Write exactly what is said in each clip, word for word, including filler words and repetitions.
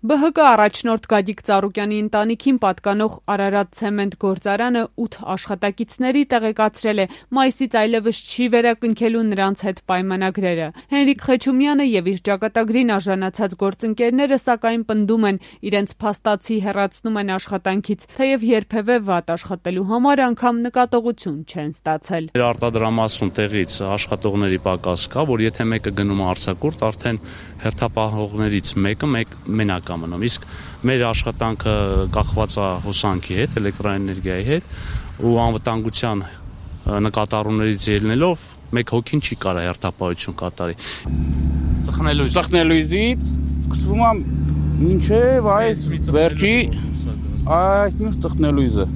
Բը հը կը առաջնորդ Գագիկ Ծառուկյանի ընտանիքին պատկանող Արարատ ցեմենտ գործարանը ութ աշխատակիցների տեղեկացրել է մայիսից այլևս չի վերակնքելու նրանց հետ պայմանագրերը։ Հենրիկ Խեչումյանը եւ իր ճակատագրին արժանացած գործընկերները սակայն պնդում են, իրենց փաստացի հեռացնում են աշխատանքից, թեև երբևէ վատ աշխատելու համար անգամ նկատողություն չեն ստացել։ Արտադրամասում տեղից աշխատողների պակաս կա, որ եթե մեկը գնում է արձակուրդ, արդեն հերթապահողներից մեկը մեկ մենակ է մնում, իսկ մեր աշխատանքը կախված է հոսանքի հետ, էլեկտրաէներգիայի հետ ու անվտանգության նկատառումներից ելնելով մեկ հոգին չի կարող հերթապահություն կատարի։ Ծխնելույզ ծխնելույզից սկսվում է մինչև այս վերջի այս մյուս ծխնելույզը։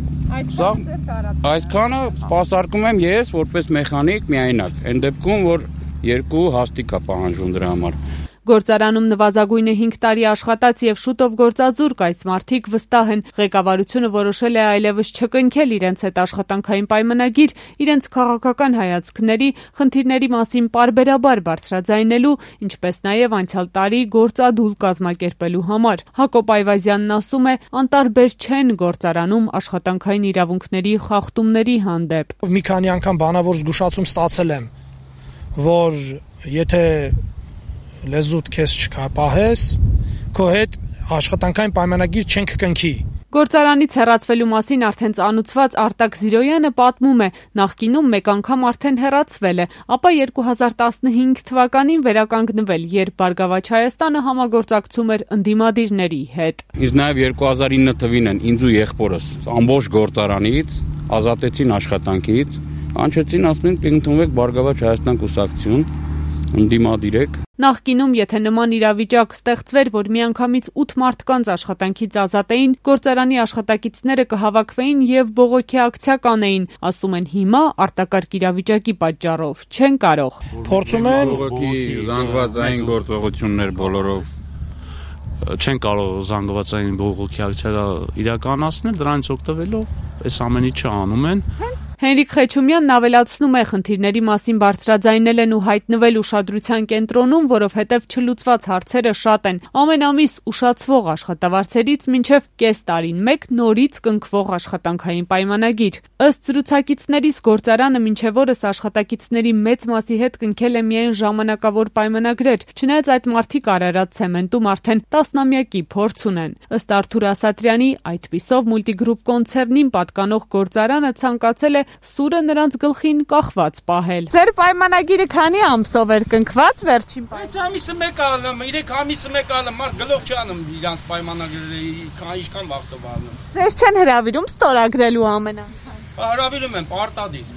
Այսքանը սպասարկում եմ ես որպես մեխանիկ միայնակ, այն դեպքում որ երկու հաստիկ է պահանջում դրա համար։ Գործարանում նվազագույնը հինգ տարի աշխատած եւ շուտով գործազուրկ այս մարդիկ վստահ են, ղեկավարությունը որոշել է այլևս չկնքել իրենց հետ աշխատանքային պայմանագիր, իրենց քաղաքական հայացքների, խնդիրների մասին պարբերաբար բարձրաձայնելու, ինչպես նաեւ անցյալ տարի գործադուլ կազմակերպելու համար։ Հակոբ Այվազյանն ասում է, անտարբեր չեն գործարանում աշխատանքային իրավունքների խախտումների հանդեպ։ Մի քանի անգամ բանավոր զգուշացում ստացել եմ, որ եթե լեզուդ քեզ չկապահես, քո հետ աշխատանքային պայմանագիր չենք կնքի։ Գործարանից հեռացվելու մասին արդեն ծանուցված Արտակ Զիրոյանը պատմում է, նախկինում մեկ անգամ արդեն հեռացվել է, ապա երկու հազար տասնհինգ թվականին վերականգնվել, երբ Բարգավաճ Հայաստանը համագործակցում էր ընդդիմադիրների հետ։ Իսկ նաև երկու հազար ինը թվին են ինձ ու եղբորս ամբողջ գործարանից ազատեցին աշխատանքից, անջեցին ասում են կընդունվեք Բարգավաճ Հայաստան կուսակցություն, ընդդիմադիր եք։ Նախկինում, եթե նման իրավիճակ ստեղծվեր, որ միանգամից ութ մարդկանց աշխատանքից ազատեին, գործարանի աշխատակիցները կհավաքվեին եւ բողոքի ակցիա կանեին, ասում են հիմա արտակարգ իրավիճակի պատճառով չեն կարող։ Փորձում են բողոքի զանգվածային գործողություններ բոլորով չեն կարող զանգվածային բողոքի ակցիա իրականացնել, դրանից օգտվելով այս ամեն ինչը անում են։ Հենրիկ Խեչումյանն ավելացնում է, խնդիրների մասին բարձրաձայնել են ու հայտնվել ուշադրության կենտրոնում, որովհետև չլուծված հարցերը շատ են։ Ամեն ամիս ուշացվող աշխատավարձերից մինչև կես տարին մեկ նորից կնքվող աշխատանքային պայմանագիր։ Ըստ զրուցակիցներիս գործարանը մինչև օրս աշխատակիցների մեծ մասի հետ կնքել է միայն ժամանակավոր պայմանագրեր, չնայած այդ մարդիկ Արարատ ցեմենտում արդեն տասնամյակի փորձ ունեն։ Ըստ Արթուր Ասատրյանի, այդպիսով Մուլտիգրուպ կոնցեռնին պատկանող գործարանը ցանկացել է սուրը նրանց գլխին կախված պահել։ Ձեր պայմանագիրը քանի ամսով էր կնքված վերջին պայմանագիրը։ Այս ամիսը մեկ ալում, երեք ամիսը մեկ ալում, մարդ գլուխ չանում իրանց պայմանագրերը, ինչքան վաղտով ալում։ Ձեզ չեն հրավիրում ստորագրելու ամեն անգամ։ Հրավիրում են պարտադիր։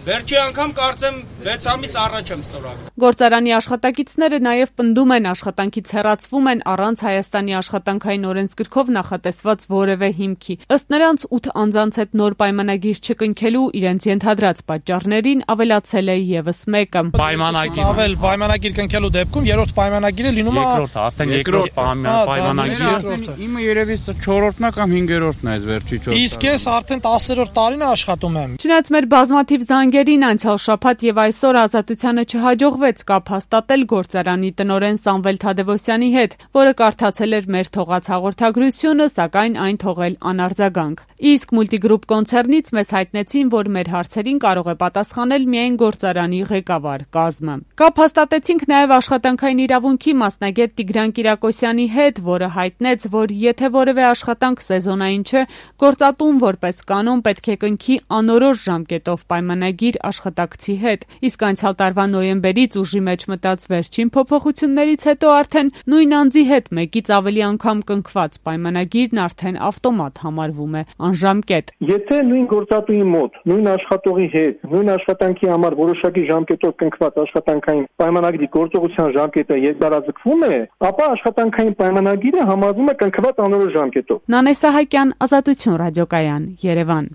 Վերջի անգամ կարծեմ վեց ամիս առաջ եմ ստորագրել։ Գործարանի աշխատակիցները նաև պնդում են, աշխատանքից հեռացվում են առանց Հայաստանի աշխատանքային օրենսգրքով նախատեսված որևէ հիմքի։ Ըստ նրանց ութ անձանց հետ նոր պայմանագիր չկնքելու իրենց ենթադրած պատճառներին ավելացել է եւս մեկը։ Պայմանագիր պայմանագիր կնքելու դեպքում երրորդ պայմանագիրը լինում է երկրորդ, արդեն երկրորդ պայմանագիրը։ Իմը երևի չորրորդն է կամ հինգերորդն է այս վերջի չորրորդը։ Իսկ ես արդեն տասերորդ տարին աշխատում եմ։ Չնայած մեր բազմաթիվ զանգերին անցյալ շաբաթ եւ այսօր Ազատությանը չհաջողվեց կապ հաստատել գործարանի տնօրեն Սամվել Թադևոսյանի հետ, որը կարդացել էր մեր թողած հաղորդագրությունը, սակայն այն թողել անարձագանք։ Իսկ Մուլտիգրուպ կոնցեռնից մեզ հայտնեցին, որ մեր հարցերին կարող է պատասխանել միայն գործարանի ղեկավար կազմը։ Կապ հաստատեցինք նաև աշխատանքային իրավունքի մասնագետ Տիգրան Կիրակոսյանի հետ, որը հայտնեց, որ եթե որևէ աշխատանք սեզոնային չէ, գործատուն որպես կանոն պետք է կնքի անորոշ ժամկետով պայմանագիր աշխատակցի հետ։ Իսկ անցյալ տարվա նոյեմբերից ուժի մեջ մտած վերջին փոփոխություններից հետո արդեն նույն անձի հետ մեկից ավելի անգամ կնքված պայմանագիրն արդեն ավտոմատ համարվում է անժամկետ։ Եթե նույն գործատուի մոտ, նույն աշխատողի հետ, նույն աշխատանքի համար որոշակի ժամկետով կնքված աշխատանքային պայմանագրի գործողության ժամկետը երկարաձգվում է, ապա աշխատանքային պայմանագիրը համարվում է կնքված անորոշ ժամկետով։ Նանե Սահակյան, Ազատություն ռադիոկայան, Երևան։